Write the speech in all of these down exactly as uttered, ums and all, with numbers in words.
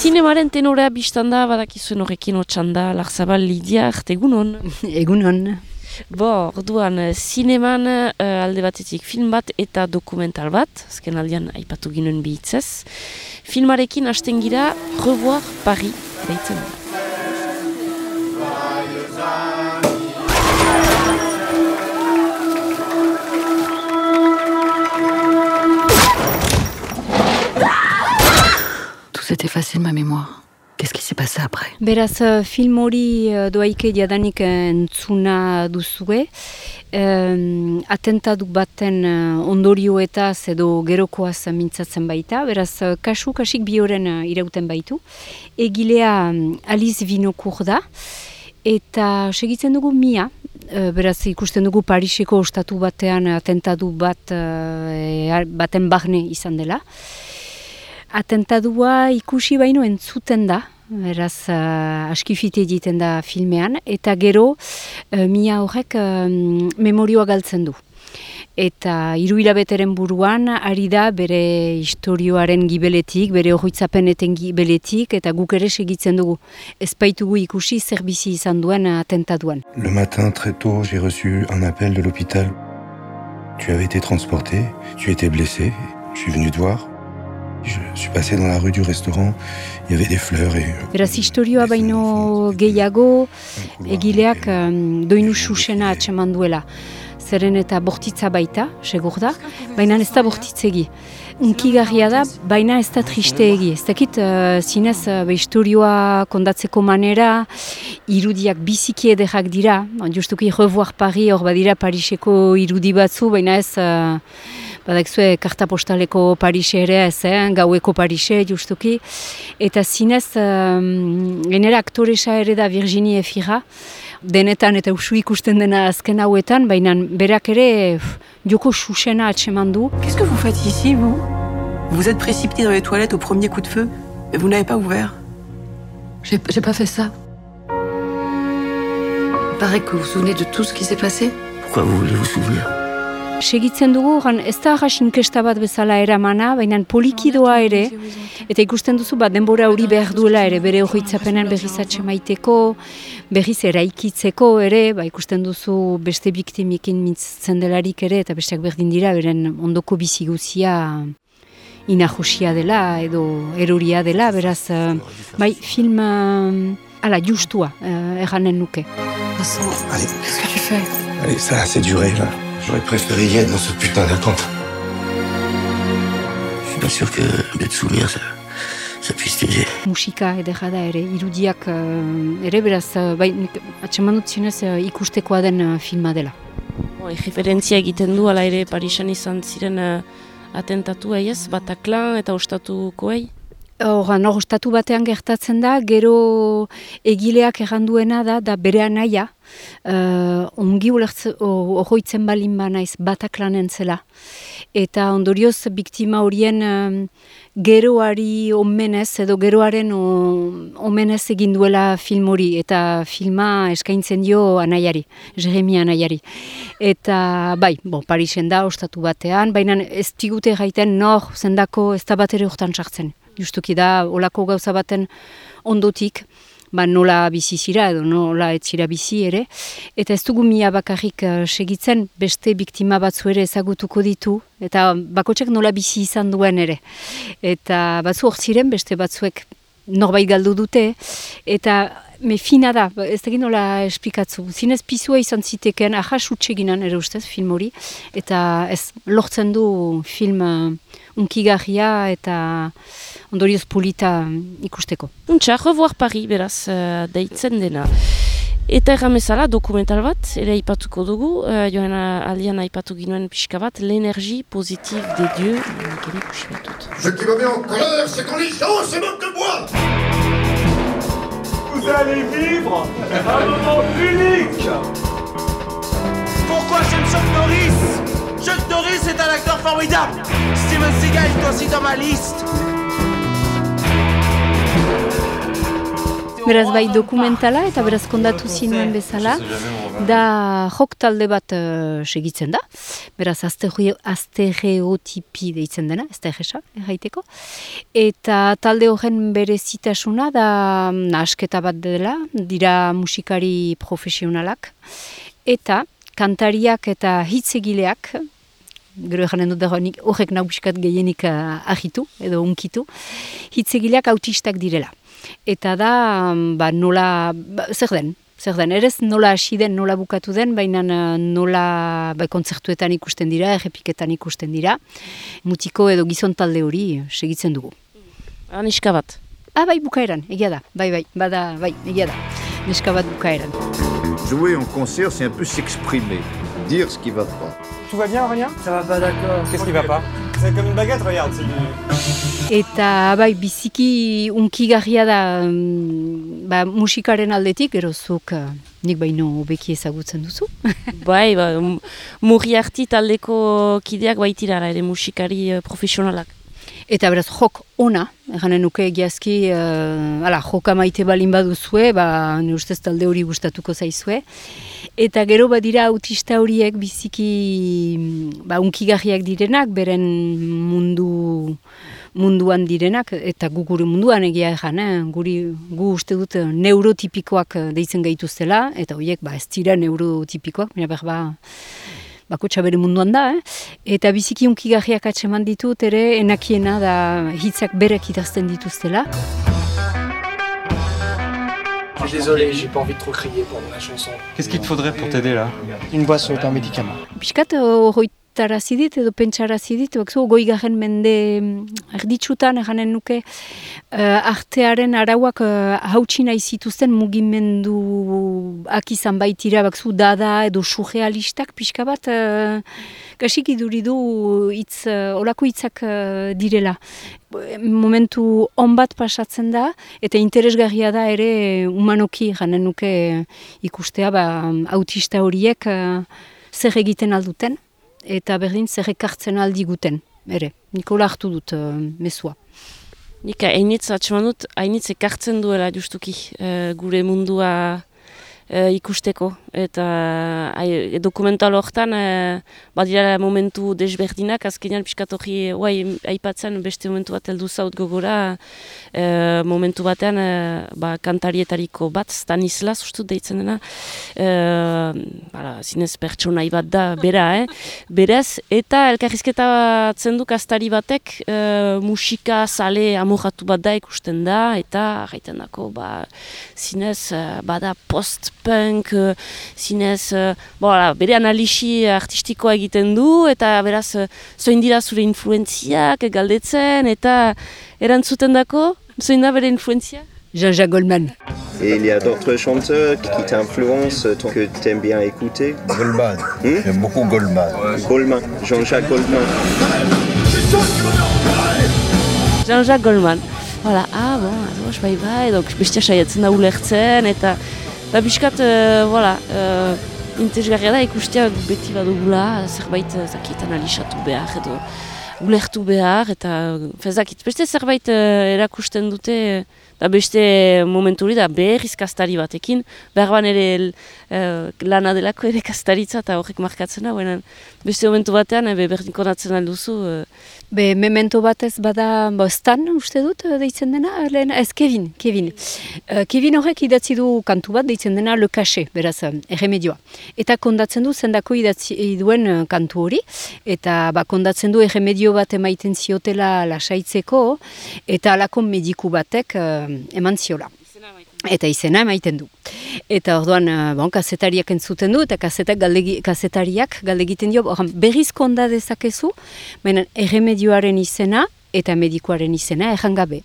Zinemaren tenorea biztanda, badakizuen horrekin otxanda, Larzabal Lidia, egunon. Egunon. Bo, orduan, zineman uh, alde batetik film bat eta dokumental bat, azken aldean aipatu ginen bihitzez. Filmarekin hasten gira Revoir Paris, deitzen da. S'est effacé de ma mémoire. Qu'est-ce qui s'est passé après? Beraz, film hori doaike jadanik entzuna duzue. Um, atentatu baten ondorioetaz edo gerokoaz mintzatzen baita. Beraz, kasu kasik bi horren irauten baitu. Egilea Alice Winocourt da. Eta segitzen dugu Mia. Beraz, ikusten dugu Pariseko ostatu batean atentatu bat baten barne izan dela. Atentadua ikusi baino entzuten da, beraz uh, askifite egiten da filmean, eta gero uh, Mia horrek uh, memorioa galtzen du. Eta hiru hilabeteren buruan ari da bere istorioaren gibeletik, bere horritzapeneten gibeletik, eta guk ere segitzen dugu. Ez baitugu ikusi zer bizi izan duen atentaduan. Le matin, très tôt, j'ai reçu un appel de l'hôpital. Tu avais été transporté, tu étais blessé, je suis venu te voir. Je suis passé dans la rue du restaurant, il y avait des fleurs et... Beraz, historioa baino gehiago, egileak um, doinu susena atseman duela. Zeren eta bortitza baita, segur da, baina ez da bortitzegi. Unkigarria da, baina ez da tristeegi. Ez dakit, uh, zinez, uh, historioa kondatzeko manera, irudiak biziki ederrak dira. Justuki Revoir Paris, hor badira Pariseko irudi batzu, baina ez... Uh, Badakzue, karta postaleko Parise ere ez, eh? Gaueko Parise, justuki. Eta zinez, um, genera aktoresa ere da Virginie Efira, denetan eta usu ikusten dena azken hauetan, baina berak ere pff, joko susena atseman du. Qu'est-ce que vous faites ici, vous? Vous êtes précipité dans les toilettes au premier coup de feu, et vous n'avez pas ouvert? J'ai, j'ai pas fait ça. Il paraît que vous vous souvenez de tout ce qui s'est passé. Pourquoi vous voulez vous souvenir? Segitzen dugu, ez da arras inkesta bat bezala eramana, baina polikidoa ere, eta ikusten duzu bat denbora hori behar duela ere, bere horritzapenen berriz atxemaiteko, berriz eraikitzeko ere, ba, ikusten duzu beste biktimikin mintzatzen delarik ere, eta besteak berdin dira, beren ondoko bizi guzia inajosia dela, edo eroria dela, beraz, bai, film, ala, justua, erranen nuke. Allez, Qu'est-ce que tu fais? allez, ça a assez duré, là. J'aurais préféré y être dans ce putain d'attente. Je suis pas sûr que de te souvenir, ça, ça puisse t'aider. Musika ederra da ere, irudiak uh, ere beraz, uh, bai, atseman dut zinez uh, ikustekoa den uh, filma dela. Bo, referentzia egiten du, ala ere Parisan izan ziren uh, atentatu ez, Bataclan eta ostatukoei? Horan, hor, ostatu batean gertatzen da, gero egileak erranduena da, da bere anaia, uh, ongi horroitzen balin ba naiz Bataclanen zela. Eta ondorioz, biktima horien um, geroari omenez, edo geroaren o, omenez egin duela film hori, eta filma eskaintzen dio anaiari, Jeremi anaiari. Eta, bai, bon, Parisen da, ostatu batean, baina ez digute gaiten nor zendako ez da bat ere hortan sartzen. Justuki da, olako gauza baten ondotik, ba, nola bizi zira edo nola ez zira bizi ere. Eta ez dugu Mia bakarrik uh, segitzen, beste biktima batzu ere ezagutuko ditu, eta bakotxek nola bizi izan duen ere. Eta batzu hor ziren, beste batzuek norbait galdu dute, eta me fina da, ez da nola esplikatzu. Zinez pizua izan ziteken, ahas utxeginan ere ustez film hori, eta ez lortzen du film uh, unkigarria eta ondorioz polita ikusteko. Untxa, Revoir Paris, beraz, uh, deitzen dena. Eta erramezala, dokumental bat, ere aipatuko dugu, uh, joan aldian aipatu ginoen pixka bat, l'énergie positive des dieux. Ce qui me met en colère, c'est quand les gens se moquent de moi. Vous allez vivre un moment unique. Pourquoi j'aime Chuck Norris? Chuck Norris est un acteur formidable. Steven Seagal est aussi dans ma liste. Beraz bai dokumentala eta beraz kondatu zinuen bezala, da jok talde bat uh, segitzen da, beraz astereotipi deitzen dena, ez da egesa, erraiteko, eta talde horren berezitasuna da nahasketa bat dela, dira musikari profesionalak, eta kantariak eta hitzegileak, gero eganen dut dago horrek nauskat gehienik uh, ahitu edo unkitu, hitzegileak autistak direla. Eta da, ba, nola, ba, zer den, zer den, erez nola hasi den, nola bukatu den, baina nola ba, kontzertuetan ikusten dira, errepiketan ikusten dira, mutiko edo gizon talde hori segitzen dugu. Ah, neska bat? Ah, bai, bukaeran, egia da, bai, bai, bada, bai, egia da, neska bat bukaeran. Jouer en concert, c'est un peu s'exprimer, dire ce qui va pas. Tout va bien, Aurélien? Ça va pas, d'accord. Qu'est-ce qui va pas? C'est comme une baguette, regarde, c'est du... Eta bai, biziki unkigarria da ba, musikaren aldetik, gerozuk nik baino hobeki ezagutzen duzu. Bai, ba, Murriarti taldeko kideak baitirara ere musikari profesionalak. Eta beraz, jok ona, eganen nuke egiazki, uh, ala, joka maite balin baduzue, ba, ne ustez talde hori gustatuko zaizue. Eta gero badira autista horiek biziki ba, unkigarriak direnak, beren mundu munduan direnak, eta gu gure munduan egia egan, eh? Guri, gu uste dut neurotipikoak deitzen gaituztela, eta horiek ba, ez dira neurotipikoak, mira behar ba, bakotxa bere munduan da, eh? Eta biziki unkigarriak atseman ditut, ere enakiena da hitzak berek idazten dituztela. Désolé, j'ai pas envie de trop crier pendant la chanson. Qu'est-ce qu'il te faudrait pour t'aider là? Une boisson et un médicament. Piskat horroitarazidit edo pentsarazidit, bakzu goi garen mende erditsutan eganen nuke uh, artearen arauak uh, hautsi nahi zituzten mugimenduak izan baitira, bakzu dada edo surrealistak pixka bat uh, kasik iduridu itz, uh, olako hitzak uh, direla. Momentu on bat pasatzen da, eta interesgarria da ere humanoki ganen nuke ikustea ba, autista horiek uh, zer egiten alduten, eta berdin zer ekartzen aldiguten, ere, Nikola hartu dut uh, mesua. Nik hainitz atseman dut, hainitz ekartzen duela justuki uh, gure mundua uh, ikusteko, eta uh, dokumental horretan uh, badira momentu desberdinak, azkenean pixkat hori aipatzen beste momentu bat heldu zaut gogora, uh, momentu batean uh, ba, kantarietariko bat, Stanislas ustut deitzen dena, uh, bara, zinez pertsonai bat da, bera, eh? berez, eta elkarrizketatzen du kastari batek uh, musika zale amoratu bat da ikusten da, eta gaiten dako, ba, zinez, uh, bada post-punk, uh, zinez, uh, bola, bere analisi artistikoa egiten du, eta beraz, uh, zoin dira zure influenziak galdetzen, eta erantzuten dako, zoin da bere influenzia? Jean-Jacques Goldman. Et il y a d'autres chanteurs qui t'influencent, que tu aimes bien écouter? Goldman, hmm? j'aime beaucoup Goldman. Goldman, Jean-Jacques Goldman. Jean-Jacques Goldman. Voilà, ah bon, ados, bai bai, donc bestia saiatzen da ulertzen, eta ba, biskat, uh, voilà, uh, interesgarria da ikustea beti badugula, zerbait zakit analizatu behar, edo ulertu behar, eta fezakit, beste zerbait uh, erakusten dute, da beste momentu hori da berriz kastari batekin, behar ban ere uh, lana delako ere kastaritza eta horrek markatzena, baina beste momentu batean be, berdin konatzen alduzu. Uh, Be, memento batez bada bo, Stan, uste dut, deitzen dena, lehen, ez Kevin, Kevin. Uh, Kevin horrek idatzi du kantu bat, deitzen dena Le Cachet, beraz, erremedioa. Eta kondatzen du, zendako idatzi duen uh, kantu hori, eta ba, kondatzen du erremedio bat emaiten ziotela lasaitzeko, eta alako mediku batek uh, eman ziola. Eta izena emaiten du. Eta orduan, bon, kazetariak entzuten du, eta kazetak galdegi, kazetariak galdegiten dio, orduan, berriz konda dezakezu, baina erremedioaren izena eta medikoaren izena erran gabe.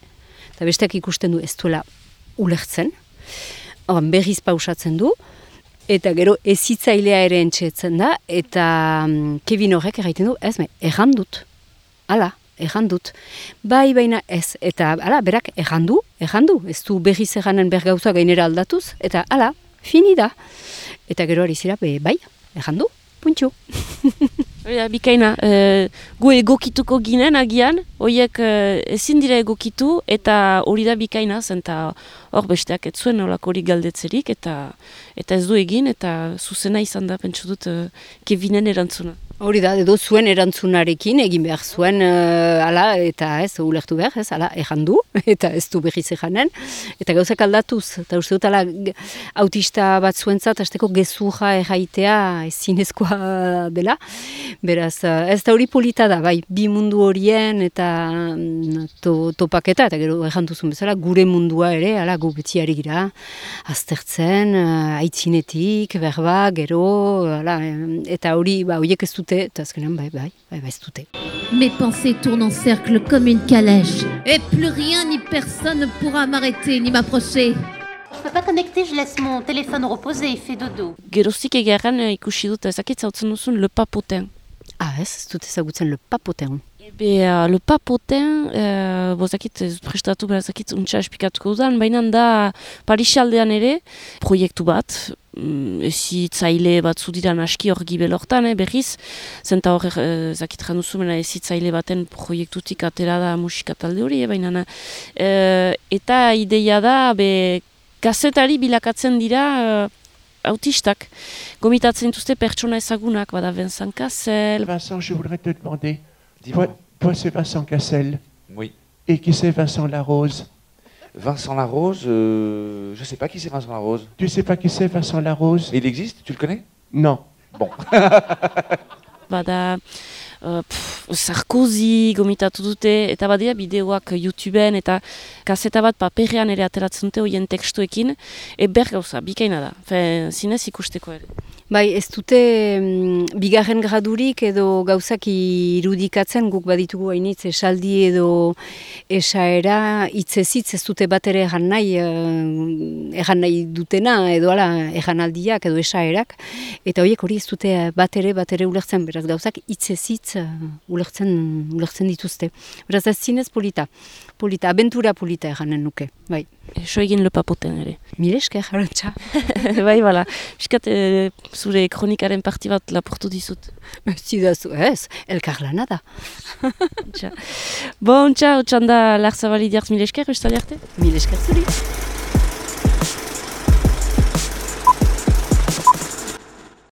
Eta besteak ikusten du ez duela ulertzen, orduan, berriz pausatzen du, eta gero ezitzailea ere entxetzen da, eta um, Kevin horrek erraiten du, ez, erran dut, hala. Egan dut. Bai, baina ez. Eta, ala, berak, egan du, egan du. Ez du berriz eganen bergauza gainera aldatuz. Eta, ala, fini da. Eta gero ari zira, bai, egan du, puntxu. Ja, bikaina, e, gu egokituko ginen agian, horiek e, ezin dira egokitu, eta hori da bikaina, zen eta hor besteak ez zuen olako hori galdetzerik, eta eta ez du egin, eta zuzena izan da, pentsu dut, e, Kevinen erantzuna. Hori da, edo zuen erantzunarekin egin behar zuen, uh, ala, eta ez, ulertu behar, ez, ala, ejan du, eta ez du behiz ejanen, eta gauzak aldatuz, eta uste dut, ala, autista bat zuentzat, azteko gezurra erraitea ezinezkoa dela, beraz, ez da hori polita da, bai, bi mundu horien, eta to, topaketa, eta gero ejantuzun bezala, gure mundua ere, ala, gu beti ari gira, aztertzen, uh, aitzinetik, berba, gero, ala, eta hori, ba, horiek ez dut. Mes pensées tournent en cercle comme une calèche. Et plus rien ni personne ne pourra m'arrêter ni m'approcher. Je peux pas connecter, je laisse mon téléphone reposer, il fait dodo. Geroztik egeran ikusi dut ezakit zautzen duzun Le Papotin. Ah ez, ez dut ezagutzen Le Papotin. Ebe, uh, Le Papotin, uh, bozakit, prestatu berazakit untsa espikatuko dudan, baina da Parisaldean ere, proiektu bat, ezitzaile bat zudiran aski hor gibel hortan, eh, berriz, zenta hor eh, zakit janduzu, mena ezitzaile baten proiektutik atera da musika talde hori, eh, baina eh, eta ideia da, be, kazetari bilakatzen dira eh, autistak, gomitatzen dituzte pertsona ezagunak, bada Vincent Cassel. Vincent, je voudrais te demander, toi, toi c'est Vincent Cassel. Oui. Et qui c'est Vincent Larose? Vincent Larose, euh, je sais pas qui c'est Vincent Larose. Tu sais pas qui c'est Vincent Larose? Il existe, tu le connais? Non. Bon. Bada uh, pff, Sarkozy gomitatu dute, eta badia bideoak YouTubeen, eta kaseta bat paperrean ere ateratzen dute hoien tekstuekin, e ber gauza, bikaina da, fe, zinez ikusteko ere. Bai, ez dute mm, bigarren gradurik edo gauzak irudikatzen, guk baditugu hainitz esaldi edo esaera, hitzezitz ez dute bat ere egan nahi, egan nahi dutena, edo ala, eganaldiak edo esaerak, eta horiek hori ez dute bat ere, bat ere ulertzen, beraz gauzak hitzezitz ulertzen, ulertzen dituzte. Beraz ez zinez polita, polita, abentura polita eganen nuke, bai. Eso egin Le Papotin ere. Mil esker, Arantxa. Bai, bala. Piskat, e, zure kronikaren parti bat laportu dizut. Zidazu, ez, elkarlana da. Bon, txau, txanda Larzabali diartz mil esker, ustali arte? Mil esker zuri.